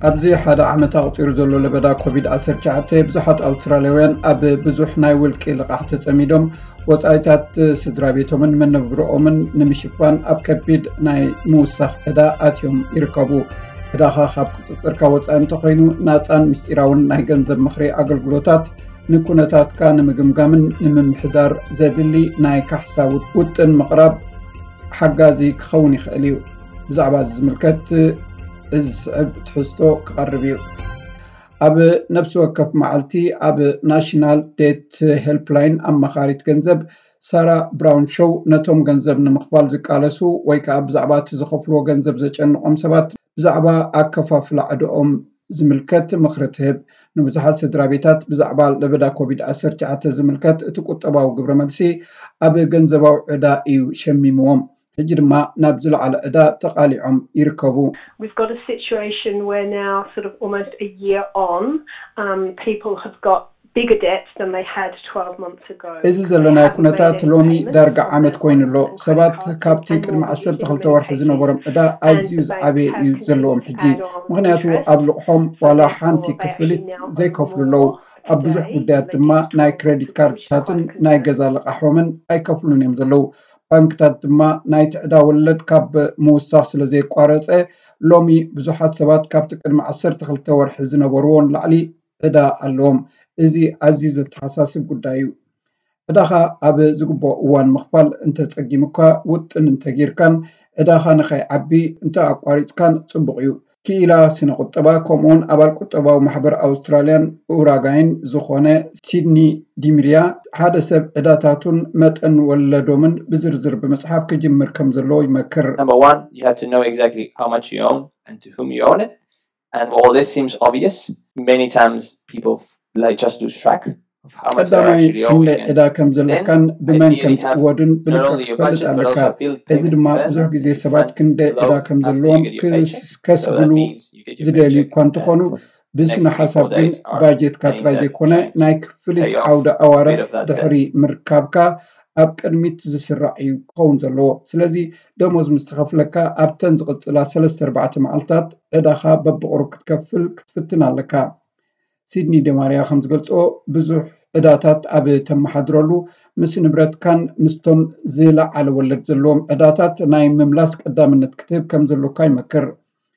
ኣብዚ ሓደ ዓመት ኣቑፂሩ ዘሎ ለበዳ ኮቪድ ዓሰርተ ትሽዓተ ብዙሓት ኣውስትራልያውያን ኣብ ብዙሕ ናይ ውልቂ ልቓሕ ተጸሚዶም ወጻኢታት ስድራ ቤቶምን መነብሮኦምን ንምሽፋን ኣብ ከቢድ ናይ ምውሳኽ ዕዳ ኣትዮም ይርከቡ። ዕዳኻ ካብ ቁጽጽርካ ወጻኢ እንተኾይኑ ናጻን ምስጢራውን ናይ ገንዘብ ምኽሪ ኣገልግሎታት ንኩነታትካ ንምግምጋምን ንምምሕዳር ዘድሊ ናይ ካሕሳ ውጥን ምቕራብ ሓጋዚ ክኸውን ይኽእል እዩ። ብዛዕባ እዚ ዝምልከት እዚ ዝስዕብ ትሕዝቶ ክቐርብ እዩ። ኣብ ነፍሲ ወከፍ መዓልቲ ኣብ ናሽናል ዴት ሄልፕላይን ኣማኻሪት ገንዘብ ሳራ ብራውን ሾው ነቶም ገንዘብ ንምኽፋል ዝቃለሱ ወይ ከዓ ብዛዕባ እቲ ዝኸፍልዎ ገንዘብ ዘጨንቖም ሰባት ብዛዕባ ኣከፋፍላ ዕድኦም ዝምልከት ምኽሪ ትህብ። ንብዙሓት ስድራ ቤታት ብዛዕባ ለበዳ ኮቪድ ዓሰርተ ትሽዓተ ዝምልከት እቲ ቁጠባዊ ግብረ መልሲ ኣብ ገንዘባዊ ዕዳ እዩ ሸሚምዎም። ሕጂ ድማ ናብ ዝለዓለ ዕዳ ተቓሊዖም ይርከቡ። We've got a situation where now, sort of almost a year on, um, people have got bigger debts than they had twelve months ago. እዚ ዘለናዮ ኩነታት ሎሚ ዳርጋ ዓመት ኮይኑ ኣሎ። ሰባት ካብቲ ቅድሚ ዓሰርተ ክልተ ወርሒ ዝነበሮም ዕዳ ኣዝዩ ዝዓበየ እዩ ዘለዎም ሕጂ። ምኽንያቱ ኣብ ልቕሖም ዋላ ሓንቲ ክፍሊት ዘይከፍሉ ኣለዉ። ኣብ ብዙሕ ጉዳያት ድማ ናይ ክሬዲት ካርድታትን ናይ ገዛ ልቓሖምን ኣይከፍሉን እዮም ዘለዉ። ባንክታት ድማ ናይቲ ዕዳ ወለድ ካብ ምውሳኽ ስለ ዘየቋረጸ ሎሚ ብዙሓት ሰባት ካብቲ ቅድሚ ዓሰርተ ክልተ ወርሒ ዝነበርዎ ንላዕሊ ዕዳ ኣለዎም። እዚ ኣዝዩ ዘተሓሳስብ ጉዳይ እዩ። ዕዳኻ ኣብ ዝግብኦ እዋን ምኽፋል እንተጸጊሙካ ውጥን እንተጌርካን ዕዳኻ ንኸይዓቢ እንተ ኣቋሪጽካን ጽቡቕ እዩ። ክኢላ ስነ ቁጠባ ከምኡውን ኣባል ቁጠባዊ ማሕበር ኣውስትራልያን ኡራጋይን ዝኾነ ሲድኒ ዲምርያ ሓደ ሰብ ዕዳታቱን መጠን ወለዶምን ብዝርዝር ብምጽሓፍ ክጅምር ከም ዘለዎ ይመክር። Number one, you have to know exactly how much you own and to whom you own it. And while this seems obvious, many times people like just lose track of how much they're ቀዳማይ actually owing. ክንደይ And ዕዳ ከም ዘለካን ብመን ከም ideally have ትእወድን not ብልክዕ only your ክትፈልጥ budget but ኣለካ። also a bill እዚ payment ድማ plan ብዙሕ ግዜ that you ሰባት fund ክንደይ ዕዳ below ከም after you ዘለዎም get your paycheck. ክስ- ከስግሉ So that means you get your ዝደልዩ paycheck እኳ እንተኾኑ and the ብስነ next three, ሓሳብ four ግን days are ባጀትካ paying ጥራይ debt, ዘይኮነ trying to ናይ pay ክፍሊት off ዓውደ a ኣዋርሕ bit of that debt. ድሕሪ ምርካብካ ኣብ ቅድሚት ዝስራዕ እዩ ክኸውን ዘለዎ። ስለዚ ደሞዝ ምስ ተኸፍለካ ኣብተን ዝቕጽላ ሰለስተ ኣርባዕተ መዓልታት ዕዳኻ በብቕሩብ ክትከፍል ክትፍትን ኣለካ። ሲድኒ ደማርያ ከም ዝገልጾ ብዙሕ ዕዳታት ኣብ ተመሓድረሉ ምስ ንብረትካን ምስቶም ዝለዓለ ወለድ ዘለዎም ዕዳታት ናይ ምምላስ ቀዳምነት ክትህብ ከም ዘሎካ ይመክር።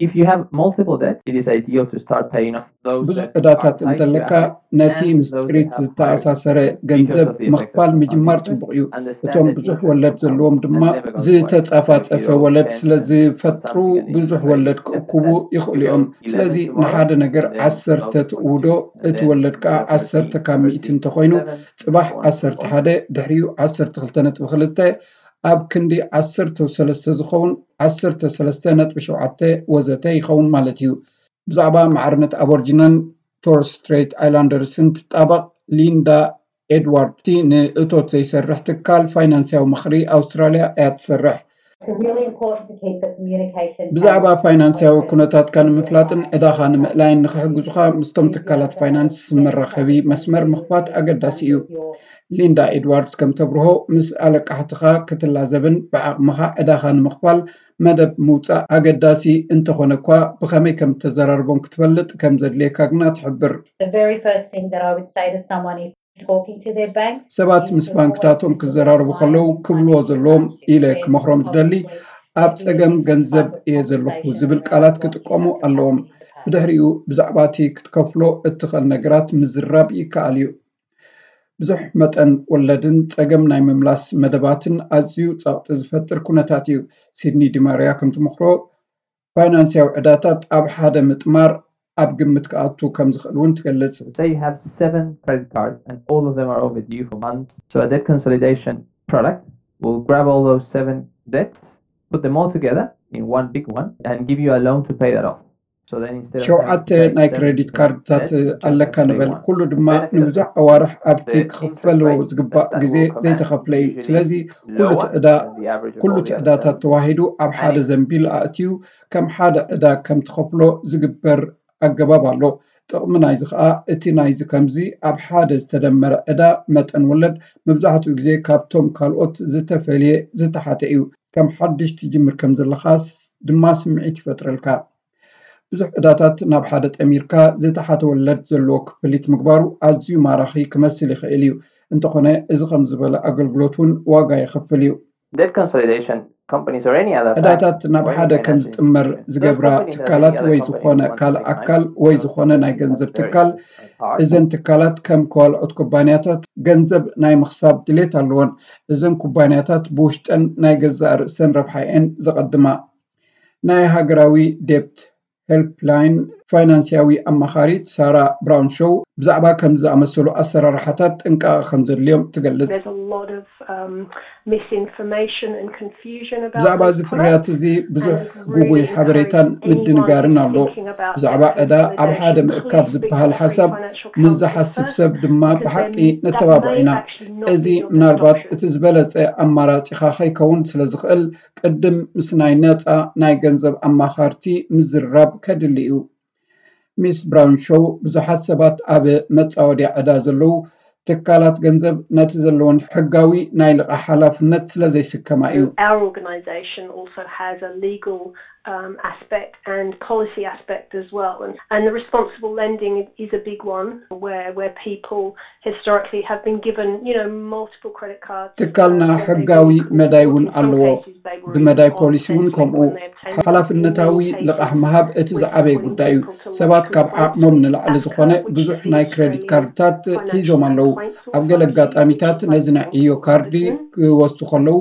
If you have multiple debt, it is ideal to start paying off those ብዙሕ that ዕዳታት are tied to እንተለካ assets ነቲ and ምስ those that ጥሪት have higher ዝተኣሳሰረ interest because ገንዘብ of the effect ምኽፋል of ምጅማር compound ጽቡቕ እዩ። interest and the እቶም standard ብዙሕ interest ወለድ compound ዘለዎም ድማ and never going to one. So if you ዝተጻፋጸፈ owe ወለድ ten ስለ percent on ዝፈጥሩ something and you ብዙሕ pay ወለድ ten ክእክቡ percent, ይኽእሉ you እዮም። owe ስለዚ eleven tomorrow, ንሓደ ነገር and then ዓሰርተ twelve point two, ትእውዶ and እቲ then ወለድ ከዓ twelve point three, ዓሰርተ ካብ ሚእቲ thirteen, እንተኾይኑ eleven, ጽባሕ four, ዓሰርተ ሓደ ድሕሪኡ ዓሰርተ ክልተ ነጥቢ ክልተ ኣብ ክንዲ ዓሰርተ ሰለስተ ዝኸውን ዓሰርተ ሰለስተ ነጥቢ ሸውዓተ ወዘተ ይኸውን ማለት እዩ። ብዛዕባ ማዕርነት ኣቦርጂናን ቶረስ ስትሬት ኣይላንደርስን ትጣበቕ ሊንዳ ኤድዋርድ፣ እቲ ንእቶት ዘይሰርሕ ትካል ፋይናንስያዊ ምኽሪ ኣውስትራልያ እያ ትሰርሕ። It's really important to keep the communication ብዛዕባ ፋይናንስያዊ ኩነታትካ ንምፍላጥን ዕዳኻ ንምእላይን ንኽሕግዙኻ ምስቶም ትካላት ፋይናንስ መራኸቢ መስመር ምኽፋት ኣገዳሲ እዩ። ሊንዳ ኤድዋርድስ ከም ተብርሆ ምስ ኣለቃሕትኻ ክትላዘብን ብዓቕምኻ ዕዳኻ ንምኽፋል መደብ ምውጻእ ኣገዳሲ እንተኾነ እኳ ብኸመይ ከም እተዘራርቦም ክትፈልጥ ከም ዘድልየካ ግና ትሕብር። The very first thing that I would say to someone if talking to their banks ሰባት ምስ ባንክታቶም ክዘራረቡ ከለዉ ክብልዎ ዘለዎም ኢለ ክመኽሮም ዝደሊ ኣብ ጸገም ገንዘብ እየ ዘለኹ ዝብል ቃላት ክጥቀሙ ኣለዎም። ብድሕሪኡ ብዛዕባ እቲ ክትከፍሎ እትኽእል ነገራት ምዝራብ ይከኣል እዩ። ብዙሕ መጠን ወለድን ጸገም ናይ ምምላስ መደባትን ኣዝዩ ጸቕጢ ዝፈጥር ኩነታት እዩ። ሲድኒ ዲማርያ ከም ትመኽሮ ፋይናንስያዊ ዕዳታት ኣብ ሓደ ምጥማር ኣብ ግምት ክኣቱ ከም ዝኽእል እውን ትገልጽ። Say you have seven credit cards and all of them are overdue for months. So a debt consolidation product will grab all those seven debts, put them all together in one big one, and give you a loan to pay that off. So then instead of having ሸውዓተ ናይ ክሬዲት ካርድታት ኣለካ ንበል፣ ኩሉ ድማ ንብዙሕ ኣዋርሕ ኣብቲ ክኽፈሎ ዝግባእ ግዜ ዘይተኸፍለ እዩ። ስለዚ ኩሉ እቲ ዕዳ ኩሉ እቲ ዕዳታት ተዋሂዱ ኣብ ሓደ ዘንቢል ኣእትዩ ከም ሓደ ዕዳ ከም ትኸፍሎ ዝግበር ኣገባብ ኣሎ። ጥቕሚ ናይዚ ኸኣ እቲ ናይዚ ከምዚ ኣብ ሓደ ዝተደመረ ዕዳ መጠን ወለድ መብዛሕትኡ ግዜ ካብቶም ካልኦት ዝተፈልየ ዝተሓተ እዩ። ከም ሓድሽ ትጅምር ከም ዘለኻስ ድማ ስምዒት ይፈጥረልካ። ብዙሕ ዕዳታት ናብ ሓደ ጠሚርካ ዝተሓተ ወለድ ዘለዎ ክፍሊት ምግባሩ ኣዝዩ ማራኺ ክመስል ይኽእል እዩ። እንተኾነ እዚ ከም ዝበለ ኣገልግሎት እውን ዋጋ የኽፍል እዩ። Debt consolidation, companies or any other bank ዕዳታት ናብ or any ሓደ ከም financial ዝጥመር institution. Those ዝገብራ companies or ትካላት any other ወይ company ዝኾነ you want to ካልእ make ኣካል financial ወይ investments ዝኾነ are ናይ very ገንዘብ important ትካል as part. እዘን ትካላት ከም ካልኦት ኩባንያታት ገንዘብ ናይ ምኽሳብ ድሌት ኣለወን። እዘን ኩባንያታት ብውሽጠን ናይ ገዛእ ርእሰን ረብሓ እየን ዘቐድማ። ናይ ሃገራዊ ዴብት ሄልፕላይን ፋይናንስያዊ ኣማኻሪት ሳራ ብራውን ሾው ብዛዕባ ከምዚ ዝኣመሰሉ ኣሰራርሓታት ጥንቃቐ ከም ዘድልዮም ትገልጽ። There's a lot of um, misinformation and confusion about ብዛዕባ this እዚ product. ፍርያት እዚ ብዙሕ ጉጉይ ሓበሬታን ምድንጋርን ኣሎ። ብዛዕባ ዕዳ ኣብ ሓደ ምእካብ ዝበሃል ሓሳብ ንዝሓስብ ሰብ ድማ ብሓቂ ነተባብዖ ኢና። እዚ ምናልባት እቲ ዝበለጸ ኣማራጺኻ ከይከውን ስለ ዝኽእል ቅድም ምስ ናይ ነጻ ናይ ገንዘብ ኣማኻርቲ ምዝርራብ ከድሊ እዩ። ሚስ ብራውን ሾው ብዙሓት ሰባት ኣብ መጻወድያ ዕዳ ዘለዉ ትካላት ገንዘብ ነቲ ዘለወን ሕጋዊ ናይ ልቓሕ ሓላፍነት ስለ ዘይስከማ እዩ። Our organisation also has a legal um, aspect and policy aspect as well. And, and the responsible lending is a big one where, where people historically have been given, you know, multiple credit cards. ትካልና ሕጋዊ መዳይ እውን ኣለዎ። ብመዳይ ፖሊሲ እውን ከምኡ። ሓላፍነታዊ ልቓሕ ምሃብ እቲ ዝዓበየ ጉዳይ እዩ። ሰባት ካብ ዓቕሞም ንላዕሊ ዝኾነ ብዙሕ ናይ ክሬዲት ካርድታት ሒዞም ኣለዉ። ኣብ ገለ ኣጋጣሚታት ነዚ ናይ ዕዮ ካርዲ ክወስዱ ከለዉ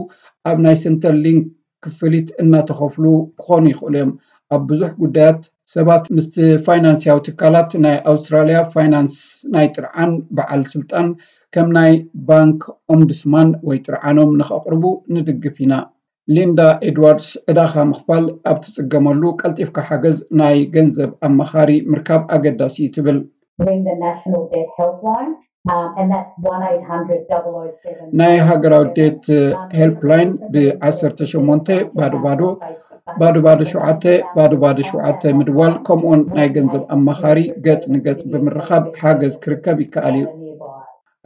ኣብ ናይ ሰንተር ሊንክ ክፍሊት እናተኸፍሉ ክኾኑ ይኽእሉ እዮም። ኣብ ብዙሕ ጉዳያት ሰባት ምስቲ ፋይናንስያዊ ትካላት ናይ ኣውስትራልያ ፋይናንስ ናይ ጥርዓን በዓል ስልጣን ከም ናይ ባንክ ኦምቡድስማን ወይ ጥርዓኖም ንኸቕርቡ ንድግፍ ኢና። ሊንዳ ኤድዋርድስ ዕዳኻ ምኽፋል ኣብ ትጽገመሉ ቀልጢፍካ ሓገዝ ናይ ገንዘብ ኣማኻሪ ምርካብ ኣገዳሲ እዩ ትብል። Ring the National Debt Helpline, um, and that's one eight hundred double oh seven. ናይ ሃገራዊ ዴት ሄልፕላይን ብ18 ባዶ ባዶ ባዶ ባዶ ሸውዓተ ባዶ ባዶ ሸውዓተ ምድዋል ከምኡውን ናይ ገንዘብ ኣማኻሪ ገጽ ንገጽ ብምርኻብ ሓገዝ ክርከብ ይከኣል እዩ።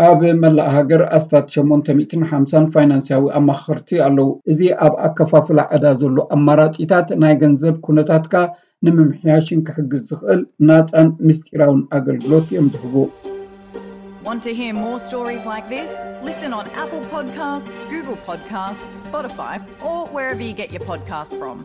ኣብ መላእ ሃገር ኣስታት 850 ፋይናንስያዊ ኣማኸርቲ ኣለዉ። እዚ ኣብ ኣከፋፍላ ዕዳ ዘሎ ኣማራጺታት ናይ ገንዘብ ኩነታትካ ንምምሕያሽን ክሕግዝ ዝኽእል ናጻን ምስጢራውን ኣገልግሎት እዮም ዝህቡ። Want to hear more stories like this? Listen on Apple Podcasts, Google Podcasts, Spotify, or wherever you get your podcasts from.